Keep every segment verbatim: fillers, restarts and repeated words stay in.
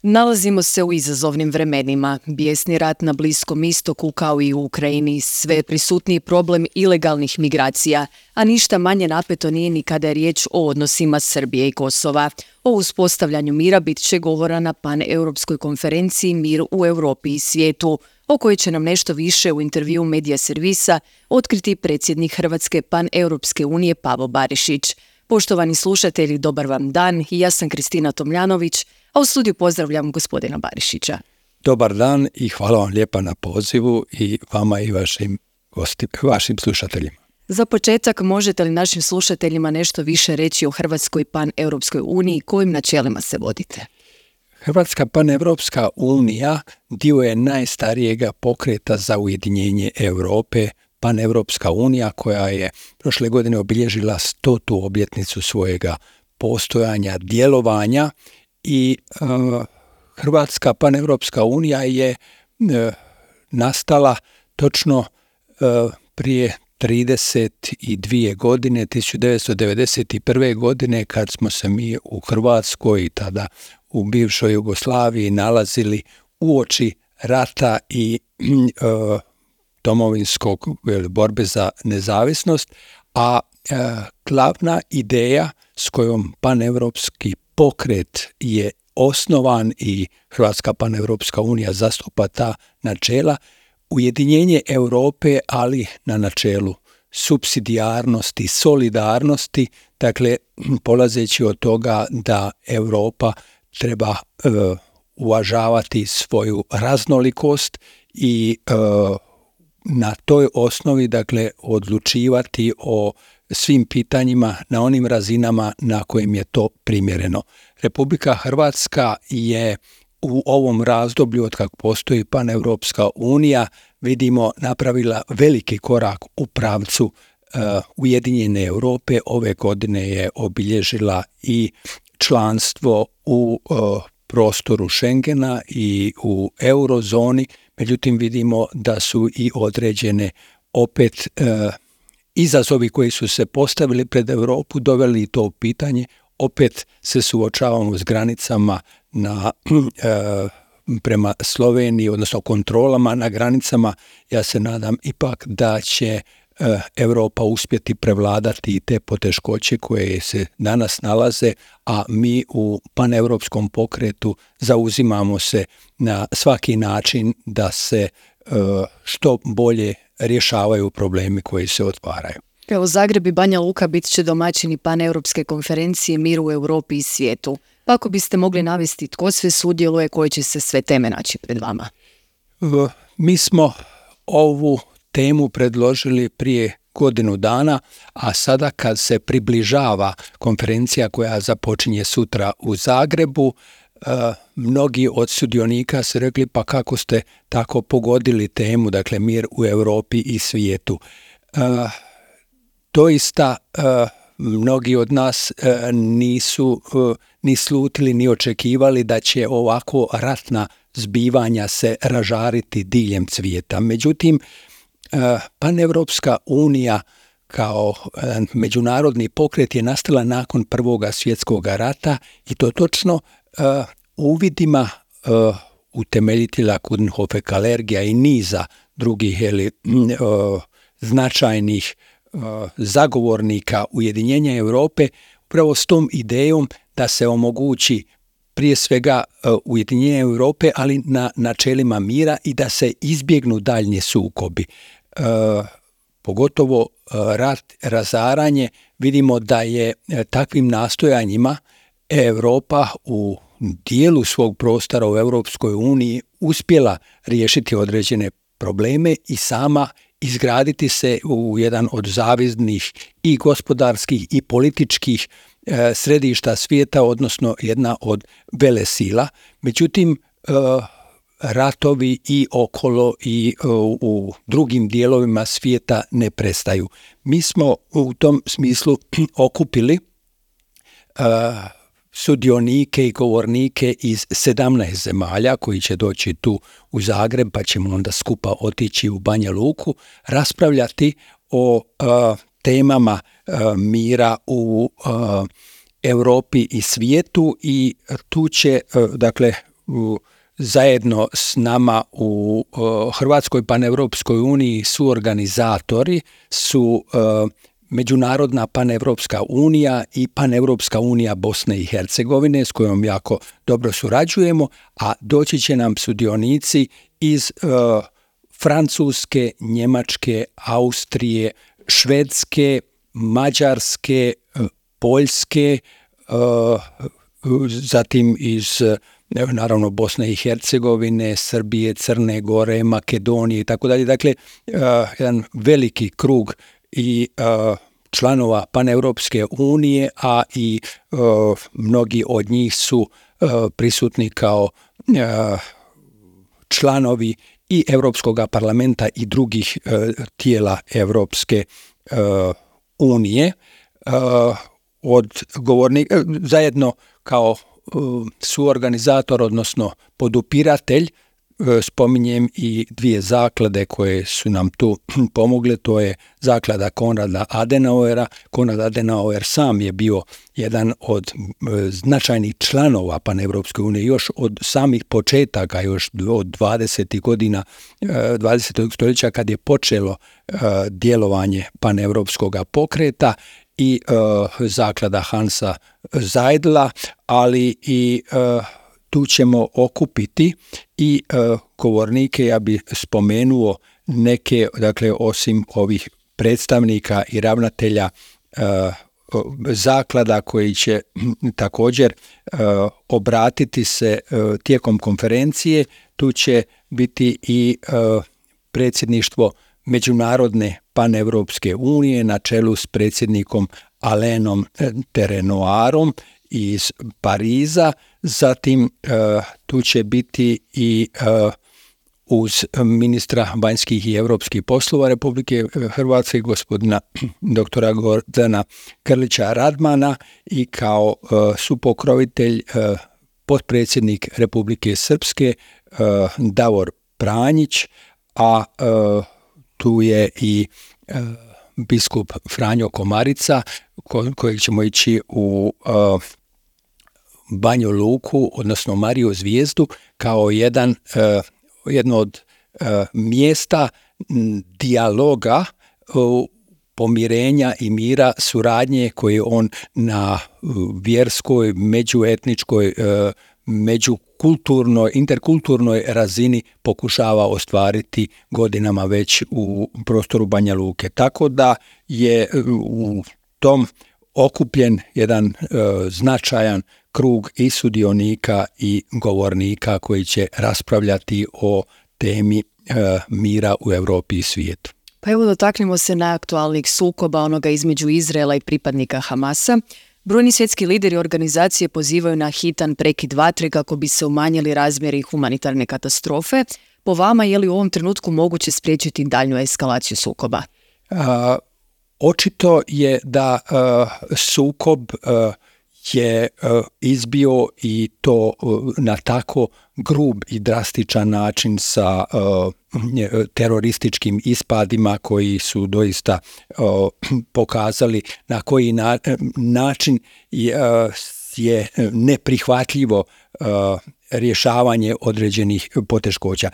Nalazimo se u izazovnim vremenima. Bijesni rat na Bliskom istoku kao i u Ukrajini, sve prisutniji problem ilegalnih migracija, a ništa manje napeto nije ni kada je riječ o odnosima Srbije i Kosova. O uspostavljanju mira bit će govora na paneuropskoj konferenciji Mir u Europi i svijetu, o kojoj će nam nešto više u intervju Medija servisa otkriti predsjednik Hrvatske paneuropske unije Pavo Barišić. Poštovani slušatelji, dobar vam dan, i ja sam Kristina Tomljanović, a u studiju pozdravljam gospodina Barišića. Dobar dan i hvala vam lijepa na pozivu i vama i vašim gosti, vašim slušateljima. Za početak, možete li našim slušateljima nešto više reći o Hrvatskoj paneuropskoj uniji, kojim načelima se vodite? Hrvatska paneuropska unija dio je najstarijega pokreta za ujedinjenje Europe, Paneuropska unija koja je prošle godine obilježila stotu obljetnicu svojega postojanja, djelovanja i uh, Hrvatska paneuropska unija je uh, nastala točno uh, prije trideset dvije godine, tisuću devetsto devedeset prve. godine, kad smo se mi u Hrvatskoj i tada u bivšoj Jugoslaviji nalazili uoči rata i uh, domovinskog borbe za nezavisnost, a e, glavna ideja s kojom paneuropski pokret je osnovan i Hrvatska paneuropska unija zastupa ta načela, ujedinjenje Europe, ali na načelu supsidijarnosti, solidarnosti, dakle polazeći od toga da Europa treba e, uvažavati svoju raznolikost i e, na toj osnovi, dakle, odlučivati o svim pitanjima na onim razinama na kojim je to primjereno. Republika Hrvatska je u ovom razdoblju od kako postoji Paneuropska unija, vidimo, napravila veliki korak u pravcu uh, Ujedinjene Europe. Ove godine je obilježila i članstvo u uh, prostoru Schengena i u eurozoni. Međutim, vidimo da su i određene opet e, izazovi koji su se postavili pred Europu doveli to u pitanje. Opet se suočavamo s granicama na, e, prema Sloveniji, odnosno kontrolama na granicama. Ja se nadam ipak da će e, Europa uspjeti prevladati te poteškoće koje se danas nalaze, a mi u paneuropskom pokretu zauzimamo se na svaki način da se e, što bolje rješavaju problemi koji se otvaraju. Evo, Zagreb i Banja Luka bit će domaćini paneuropske konferencije Mir u Europi i svijetu. Pa ako biste mogli navesti tko sve sudjeluje, koje će se sve teme naći pred vama? Mi smo ovu temu predložili prije godinu dana, a sada kad se približava konferencija koja započinje sutra u Zagrebu, Uh, mnogi od sudionika su rekli, pa kako ste tako pogodili temu, dakle mir u Europi i svijetu. Uh, doista uh, mnogi od nas uh, nisu uh, ni slutili ni očekivali da će ovako ratna zbivanja se ražariti diljem svijeta. Međutim, uh, Paneuropska unija kao uh, međunarodni pokret je nastala nakon Prvoga svjetskog rata i to točno Uh, uvidima uh, utemeljitelja Coudenhove-Kalergija i niza drugih ili, uh, značajnih uh, zagovornika ujedinjenja Europe, upravo s tom idejom da se omogući prije svega uh, ujedinjenje Europe, ali na načelima mira i da se izbjegnu daljnji sukobi. Uh, pogotovo uh, rat, razaranje, vidimo da je uh, takvim nastojanjima Europa u dijelu svog prostora u Europskoj uniji uspjela riješiti određene probleme i sama izgraditi se u jedan od zavidnih i gospodarskih i političkih e, središta svijeta, odnosno jedna od velesila. Međutim, e, ratovi i okolo i e, u drugim dijelovima svijeta ne prestaju. Mi smo u tom smislu okupili e, sudionike i govornike iz sedamnaest zemalja koji će doći tu u Zagreb, pa ćemo onda skupa otići u Banja Luku, raspravljati o uh, temama uh, mira u uh, Europi i svijetu i tu će, uh, dakle, u, zajedno s nama u uh, Hrvatskoj paneuropskoj uniji suorganizatori su uh, Međunarodna paneuropska unija i paneuropska unija Bosne i Hercegovine s kojom jako dobro surađujemo, a doći će nam sudionici iz uh, Francuske, Njemačke, Austrije, Švedske, Mađarske, Poljske, zatim iz naravno Bosne i Hercegovine, Srbije, Crne Gore, Makedonije i tako dalje. Dakle, jedan veliki krug i članova Paneuropske unije, a i mnogi od njih su prisutni kao članovi i Europskog parlamenta i drugih tijela Europske unije. Od govornika zajedno kao suorganizator, odnosno podupiratelj, spominjem i dvije zaklade koje su nam tu pomogle. To je zaklada Konrada Adenauera. Konrad Adenauer sam je bio jedan od značajnih članova Paneuropske unije još od samih početaka, još od dvadesetih godina dvadesetog stoljeća kad je počelo djelovanje paneuropskog pokreta, i uh, zaklada Hansa Zeidla, ali i uh, tu ćemo okupiti i uh, govornike. Ja bih spomenuo neke, dakle, osim ovih predstavnika i ravnatelja uh, zaklada koji će također uh, obratiti se uh, tijekom konferencije. Tu će biti i uh, predsjedništvo Međunarodne paneuropske unije na čelu s predsjednikom Alainem Terenoirom iz Pariza. Zatim uh, tu će biti i uh, uz ministra vanjskih i europskih poslova Republike Hrvatske, gospodina doktora Gordana Grlića Radmana, i kao uh, supokrovitelj uh, potpredsjednik Republike Srpske uh, Davor Pranjić, a uh, tu je i e, biskup Franjo Komarica, ko, kojeg ćemo ići u e, Banju Luku, odnosno Mariju Zvijezdu, kao jedan, e, jedno od e, mjesta dijaloga, e, pomirenja i mira, suradnje koje on na vjerskoj, međuetničkoj, e, međukulturnoj, interkulturnoj razini pokušava ostvariti godinama već u prostoru Banja Luke. Tako da je u tom okupljen jedan e, značajan krug i sudionika i govornika koji će raspravljati o temi e, mira u Europi i svijetu. Pa evo, dotaknimo se najaktualnijih sukoba, onoga između Izraela i pripadnika Hamasa. Brojni svjetski lideri organizacije pozivaju na hitan prekid vatre kako bi se umanjili razmjeri humanitarne katastrofe. Po vama, je li u ovom trenutku moguće spriječiti daljnju eskalaciju sukoba? A, očito je da a, sukob a, je a, izbio, i to a, na tako grub i drastičan način sa a, terorističkim ispadima koji su doista a, pokazali na koji na, način je, a, je neprihvatljivo a, rješavanje određenih poteškoća.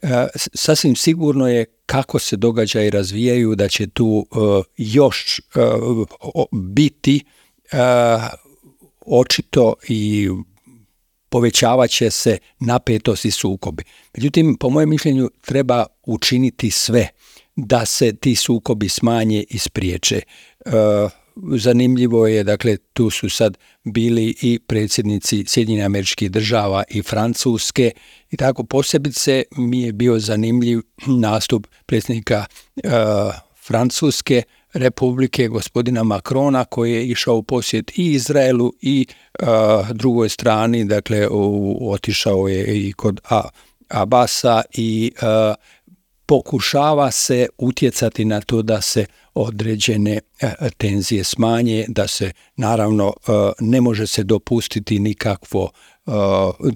A, sasvim sigurno je kako se događaji razvijaju da će tu a, još a, biti a, očito i povećavat će se napetost i sukobi. Međutim, po mojem mišljenju treba učiniti sve da se ti sukobi smanje i spriječe. E, zanimljivo je, dakle, tu su sad bili i predsjednici Sjedinjenih Američkih Država i Francuske, i tako posebice mi je bio zanimljiv nastup predsjednika e, Francuske Republike, gospodina Macrona, koji je išao u posjet i Izraelu i uh, drugoj strani, dakle u, otišao je i kod A, Abasa i uh, pokušava se utjecati na to da se određene uh, tenzije smanje, da se naravno uh, ne može se dopustiti nikakvo uh,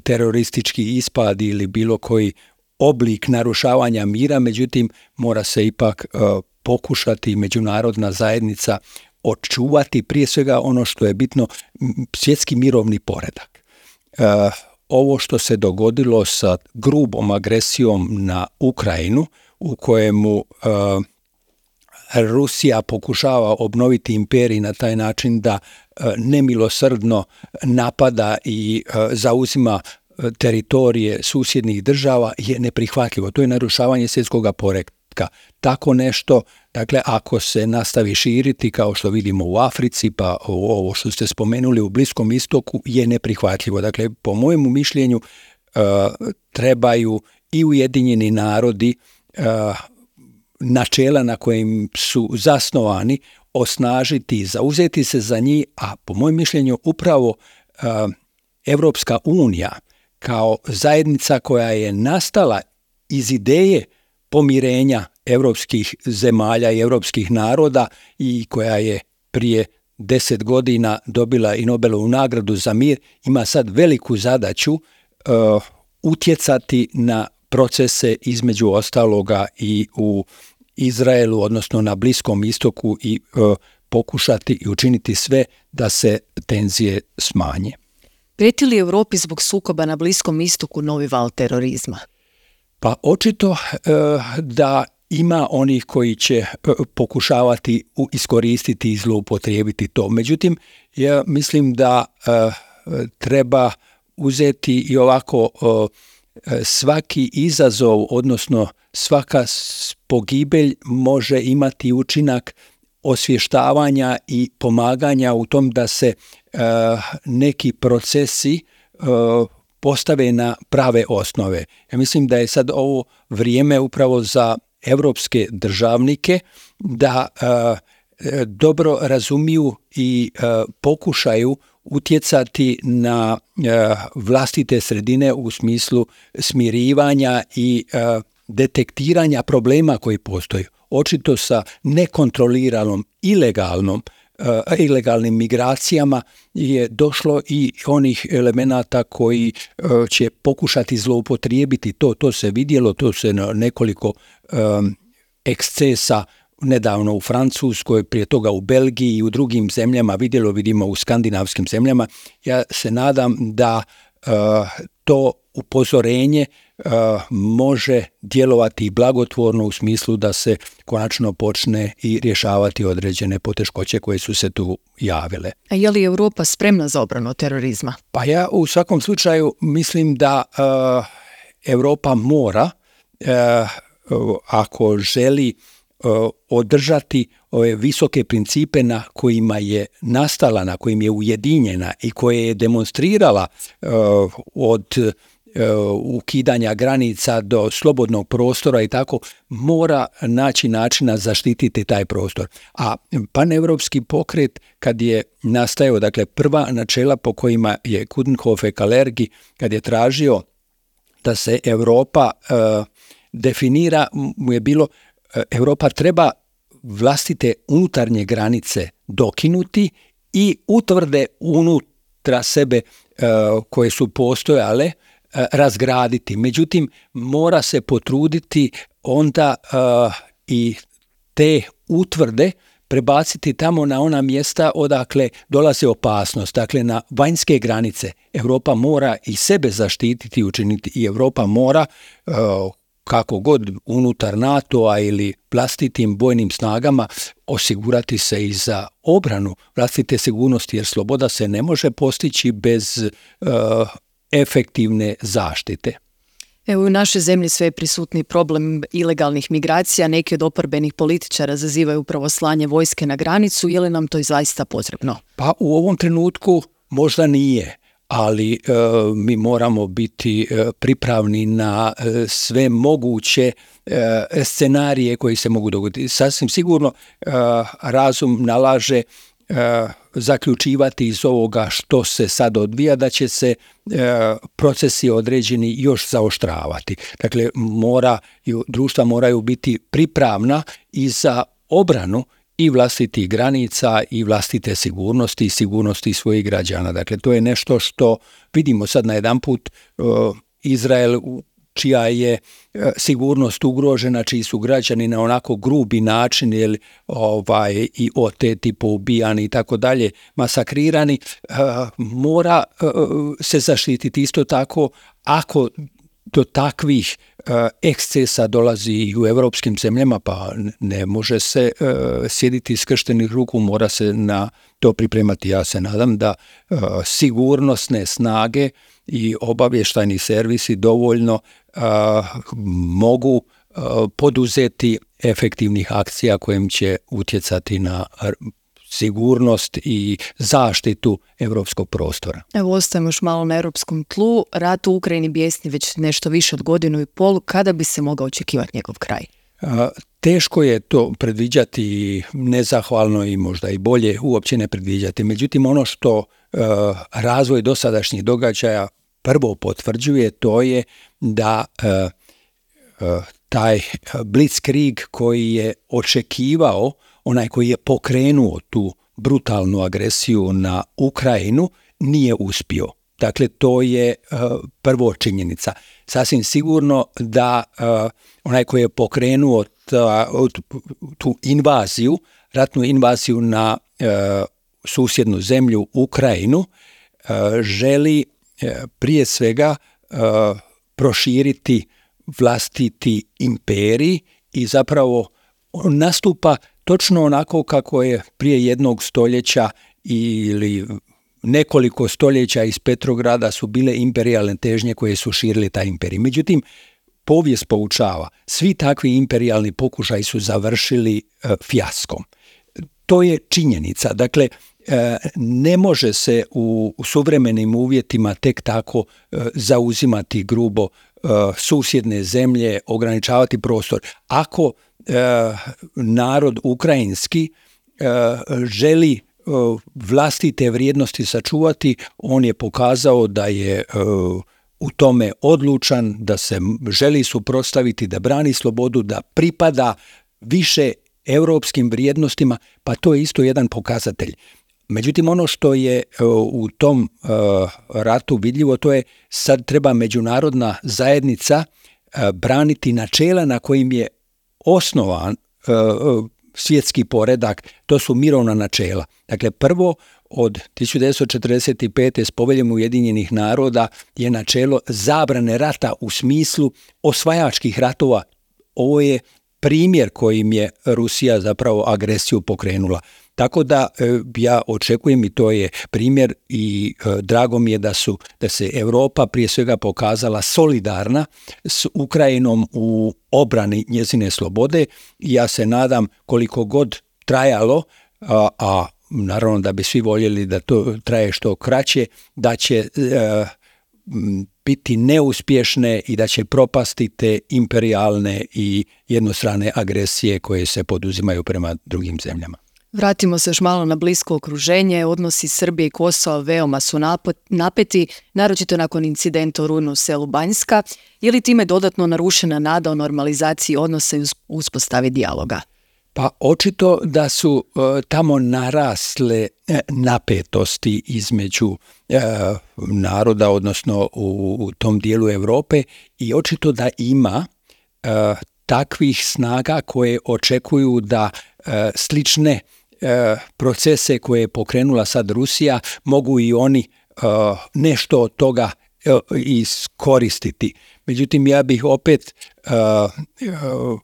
teroristički ispad ili bilo koji oblik narušavanja mira, međutim mora se ipak uh, pokušati međunarodna zajednica očuvati prije svega ono što je bitno, svjetski mirovni poredak. E, ovo što se dogodilo sa grubom agresijom na Ukrajinu, u kojemu uh, Rusija pokušava obnoviti imperij na taj način da uh, nemilosrdno napada i uh, zauzima teritorije susjednih država, je neprihvatljivo. To je narušavanje svjetskog poretka. Tako nešto, dakle, ako se nastavi širiti, kao što vidimo u Africi, pa ovo što ste spomenuli u Bliskom istoku, je neprihvatljivo. Dakle, po mojemu mišljenju, uh, trebaju i Ujedinjeni narodi uh, načela na kojim su zasnovani osnažiti, zauzeti se za njih, a po mojem mišljenju upravo uh, Evropska unija kao zajednica koja je nastala iz ideje pomirenja europskih zemalja i europskih naroda i koja je prije deset godina dobila i Nobelovu nagradu za mir, ima sad veliku zadaću uh, utjecati na procese između ostaloga i u Izraelu, odnosno na Bliskom istoku i uh, pokušati i učiniti sve da se tenzije smanje. Prijeti li Europi zbog sukoba na Bliskom istoku novi val terorizma? Pa očito uh, da ima onih koji će uh, pokušavati uh, iskoristiti i zloupotrijebiti to. Međutim, ja mislim da uh, treba uzeti i ovako uh, svaki izazov, odnosno svaka pogibelj može imati učinak osvještavanja i pomaganja u tom da se uh, neki procesi uh, postave na prave osnove. Ja mislim da je sad ovo vrijeme upravo za evropske državnike da uh, dobro razumiju i uh, pokušaju utjecati na uh, vlastite sredine u smislu smirivanja i uh, detektiranja problema koji postoji. Očito sa nekontroliranom ilegalnom uh, ilegalnim migracijama je došlo i onih elemenata koji uh, će pokušati zloupotrijebiti to. To se vidjelo, to se na nekoliko um, ekscesa nedavno u Francuskoj, prije toga u Belgiji i u drugim zemljama vidjelo, vidimo u skandinavskim zemljama. Ja se nadam da uh, to upozorenje uh, može djelovati blagotvorno u smislu da se konačno počne i rješavati određene poteškoće koje su se tu javile. A je li Europa spremna za obranu od terorizma? Pa ja u svakom slučaju mislim da uh, Europa mora, uh, ako želi uh, održati ove visoke principe na kojima je nastala, na kojim je ujedinjena i koje je demonstrirala uh, od ukidanja granica do slobodnog prostora i tako, mora naći načina zaštititi taj prostor. A paneuropski pokret kad je nastajao, dakle prva načela po kojima je Coudenhove-Kalergi, kad je tražio da se Europa uh, definira, mu je bilo uh, Europa treba vlastite unutarnje granice dokinuti i utvrde unutra sebe uh, koje su postojale razgraditi. Međutim, mora se potruditi onda uh, i te utvrde prebaciti tamo na ona mjesta odakle dolazi opasnost, dakle na vanjske granice. Europa mora i sebe zaštititi i učiniti i Europa mora uh, kako god unutar NATO-a ili vlastitim bojnim snagama osigurati se i za obranu vlastite sigurnosti, jer sloboda se ne može postići bez uh, efektivne zaštite. Evo, u našoj zemlji sve je prisutni problem ilegalnih migracija. Neki od oporbenih političara zazivaju upravo slanje vojske na granicu. Je li nam to zaista potrebno? Pa u ovom trenutku možda nije, ali e, mi moramo biti e, pripravni na e, sve moguće e, scenarije koji se mogu dogoditi. Sasvim sigurno e, razum nalaže e, zaključivati iz ovoga što se sad odvija da će se e, procesi određeni još zaoštravati. Dakle, mora, društva moraju biti pripravna i za obranu i vlastitih granica i vlastite sigurnosti i sigurnosti svojih građana. Dakle, to je nešto što vidimo sad na jedan put. e, Izrael čija je sigurnost ugrožena, čiji su građani na onako grubi način ili ovaj i oteti, poubijani i tako dalje, masakrirani, mora se zaštititi. Isto tako, ako do takvih ekscesa dolazi i u europskim zemljama, pa ne može se sjediti skrštenih ruku, mora se na to pripremati. Ja se nadam da sigurnosne snage i obavještajni servisi dovoljno mogu poduzeti efektivnih akcija kojim će utjecati na sigurnost i zaštitu europskog prostora. Evo, ostajemo još malo na europskom tlu. Rat u Ukrajini bijesni već nešto više od godinu i pol. Kada bi se mogao očekivati njegov kraj? Teško je to predviđati, nezahvalno i možda i bolje uopće ne predviđati. Međutim, ono što razvoj dosadašnjih događaja prvo potvrđuje, to je da taj blitzkrieg koji je očekivao, onaj koji je pokrenuo tu brutalnu agresiju na Ukrajinu, nije uspio. Dakle, to je uh, prvo činjenica. Sasvim sigurno da uh, onaj koji je pokrenuo ta, tu invaziju, ratnu invaziju na uh, susjednu zemlju Ukrajinu, uh, želi uh, prije svega uh, proširiti vlastiti imperij i zapravo nastupa točno onako kako je prije jednog stoljeća ili nekoliko stoljeća iz Petrograda su bile imperijalne težnje koje su širili taj imperij. Međutim, povijest poučava, svi takvi imperijalni pokušaji su završili e, fijaskom. To je činjenica. Dakle, e, ne može se u, u suvremenim uvjetima tek tako e, zauzimati grubo e, susjedne zemlje, ograničavati prostor. Ako e, narod ukrajinski e, želi vlastite vrijednosti sačuvati, on je pokazao da je uh, u tome odlučan, da se želi suprotstaviti, da brani slobodu, da pripada više europskim vrijednostima, pa to je isto jedan pokazatelj. Međutim, ono što je uh, u tom uh, ratu vidljivo, to je sad treba međunarodna zajednica uh, braniti načela na kojim je osnovan uh, svjetski poredak, to su mirovna načela. Dakle, prvo od tisuću devetsto četrdeset pete s Poveljom Ujedinjenih naroda je načelo zabrane rata u smislu osvajačkih ratova. Ovo je primjer kojim je Rusija zapravo agresiju pokrenula. Tako da ja očekujem, i to je primjer, i drago mi je da su da se Europa prije svega pokazala solidarna s Ukrajinom u obrani njezine slobode. I ja se nadam, koliko god trajalo, a, a naravno da bi svi voljeli da to traje što kraće, da će a, biti neuspješne i da će propasti te imperijalne i jednostrane agresije koje se poduzimaju prema drugim zemljama. Vratimo se još malo na blisko okruženje. Odnosi Srbije i Kosova veoma su napeti, naročito nakon incidenta u rujnu u selu Banjska. Je li time dodatno narušena nada o normalizaciji odnosa i uspostavi dijaloga? Pa očito da su uh, tamo narasle uh, napetosti između uh, naroda, odnosno u, u tom dijelu Europe, i očito da ima uh, takvih snaga koje očekuju da uh, slične procese koje je pokrenula sad Rusija mogu i oni uh, nešto od toga uh, iskoristiti. Međutim, ja bih opet uh, uh,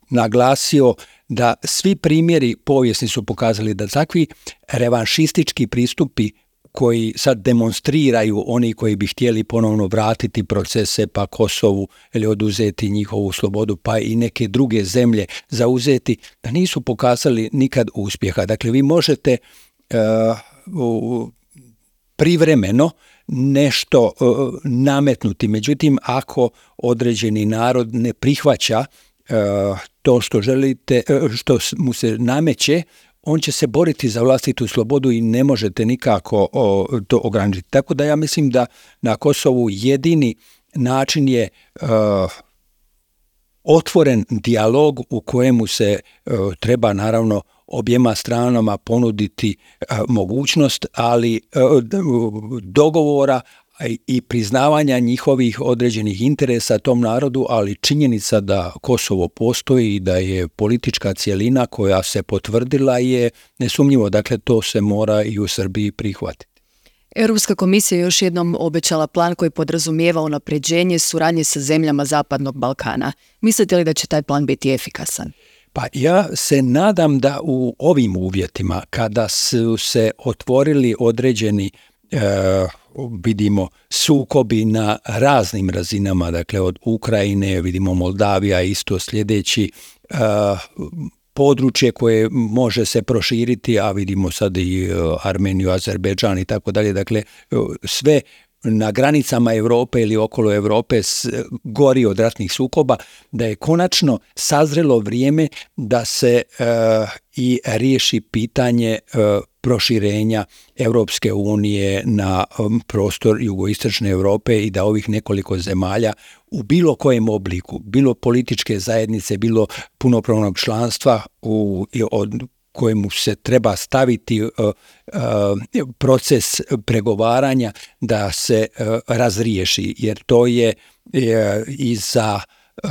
naglasio da svi primjeri povijesni su pokazali da takvi revanšistički pristupi koji sad demonstriraju oni koji bi htjeli ponovno vratiti procese, pa Kosovu ili oduzeti njihovu slobodu, pa i neke druge zemlje zauzeti, da nisu pokazali nikad uspjeha. Dakle, vi možete uh, privremeno nešto uh, nametnuti, međutim, ako određeni narod ne prihvaća uh, to što želite, uh, što mu se nameće, on će se boriti za vlastitu slobodu i ne možete nikako o, to ograničiti. Tako da ja mislim da na Kosovu jedini način je uh, otvoren dijalog u kojemu se uh, treba naravno objema stranama ponuditi uh, mogućnost, ali uh, dogovora, i priznavanja njihovih određenih interesa tom narodu, ali činjenica da Kosovo postoji i da je politička cjelina koja se potvrdila je nesumnjivo. Dakle, to se mora i u Srbiji prihvatiti. Europska komisija je još jednom obećala plan koji podrazumijeva unapređenje suradnje sa zemljama Zapadnog Balkana. Mislite li da će taj plan biti efikasan? Pa ja se nadam da u ovim uvjetima, kada su se otvorili određeni e, vidimo sukobi na raznim razinama, dakle od Ukrajine, vidimo Moldavija isto sljedeći, e, područje koje može se proširiti, a vidimo sad i Armeniju, Azerbejdžan i tako dalje, dakle sve na granicama Europe ili okolo Europe gori od ratnih sukoba, da je konačno sazrelo vrijeme da se e, i riješi pitanje e, proširenja Europske unije na um, prostor jugoistočne Europe i da ovih nekoliko zemalja u bilo kojem obliku, bilo političke zajednice, bilo punopravnog članstva u, od kojemu se treba staviti uh, uh, proces pregovaranja da se uh, razriješi, jer to je uh, i za uh,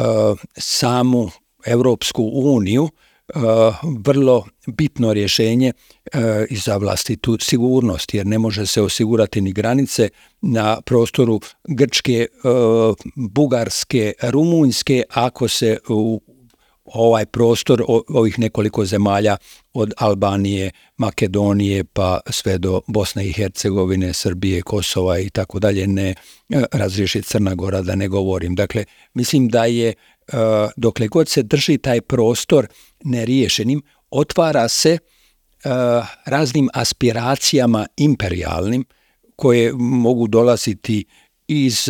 samu Europsku uniju uh, vrlo bitno rješenje uh, i za vlastitu sigurnost, jer ne može se osigurati ni granice na prostoru Grčke, uh, Bugarske, Rumunjske ako se u ovaj prostor ovih nekoliko zemalja od Albanije, Makedonije pa sve do Bosne i Hercegovine, Srbije, Kosova i tako dalje ne razriješi, Crna Gora da ne govorim. Dakle, mislim da je dokle god se drži taj prostor neriješenim, otvara se raznim aspiracijama imperijalnim koje mogu dolaziti iz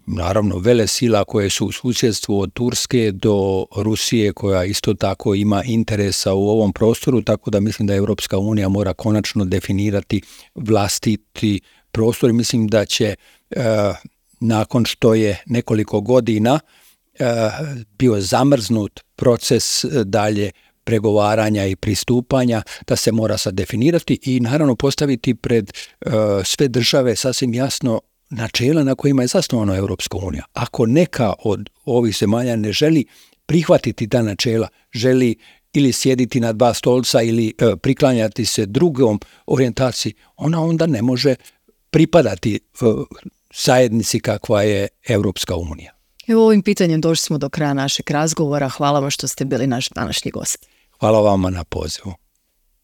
naravno velesila koje su u susjedstvu od Turske do Rusije koja isto tako ima interesa u ovom prostoru, tako da mislim da Europska unija mora konačno definirati vlastiti prostor. Mislim da će e, nakon što je nekoliko godina e, bio zamrznut proces dalje pregovaranja i pristupanja, da se mora sad definirati i naravno postaviti pred e, sve države sasvim jasno načela na kojima je zasnovana Europska unija. Ako neka od ovih zemalja ne želi prihvatiti ta načela, želi ili sjediti na dva stolca ili e, priklanjati se drugom orijentaciji, ona onda ne može pripadati e, zajednici kakva je Europska unija. Evo ovim pitanjem došli smo do kraja našeg razgovora. Hvala vam što ste bili naš današnji gost. Hvala vama na pozivu.